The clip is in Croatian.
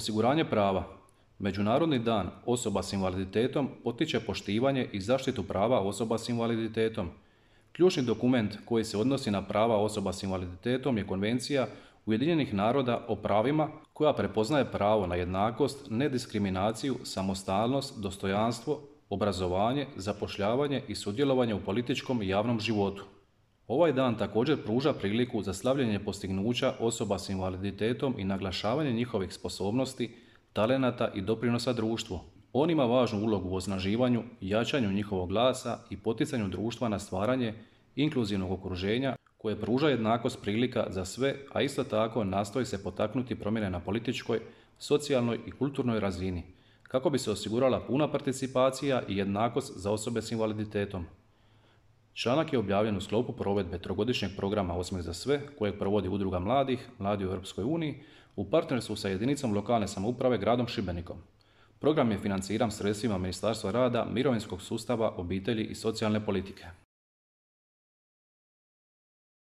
Osiguranje prava. Međunarodni dan osoba s invaliditetom potiče poštivanje i zaštitu prava osoba s invaliditetom. Ključni dokument koji se odnosi na prava osoba s invaliditetom je Konvencija Ujedinjenih naroda o pravima koja prepoznaje pravo na jednakost, nediskriminaciju, samostalnost, dostojanstvo, obrazovanje, zapošljavanje i sudjelovanje u političkom i javnom životu. Ovaj dan također pruža priliku za slavljenje postignuća osoba s invaliditetom i naglašavanje njihovih sposobnosti, talenata i doprinosa društvu. On ima važnu ulogu u osnaživanju, jačanju njihovog glasa i poticanju društva na stvaranje inkluzivnog okruženja koje pruža jednakost prilika za sve, a isto tako nastoji se potaknuti promjene na političkoj, socijalnoj i kulturnoj razini, kako bi se osigurala puna participacija i jednakost za osobe s invaliditetom. Članak je objavljen u sklopu provedbe trogodišnjeg programa Osmijeh za sve, kojeg provodi Udruga mladih, Mladi u Europskoj uniji, u partnerstvu sa jedinicom lokalne samouprave gradom Šibenikom. Program je financiran sredstvima Ministarstva rada, mirovinskog sustava, obitelji i socijalne politike.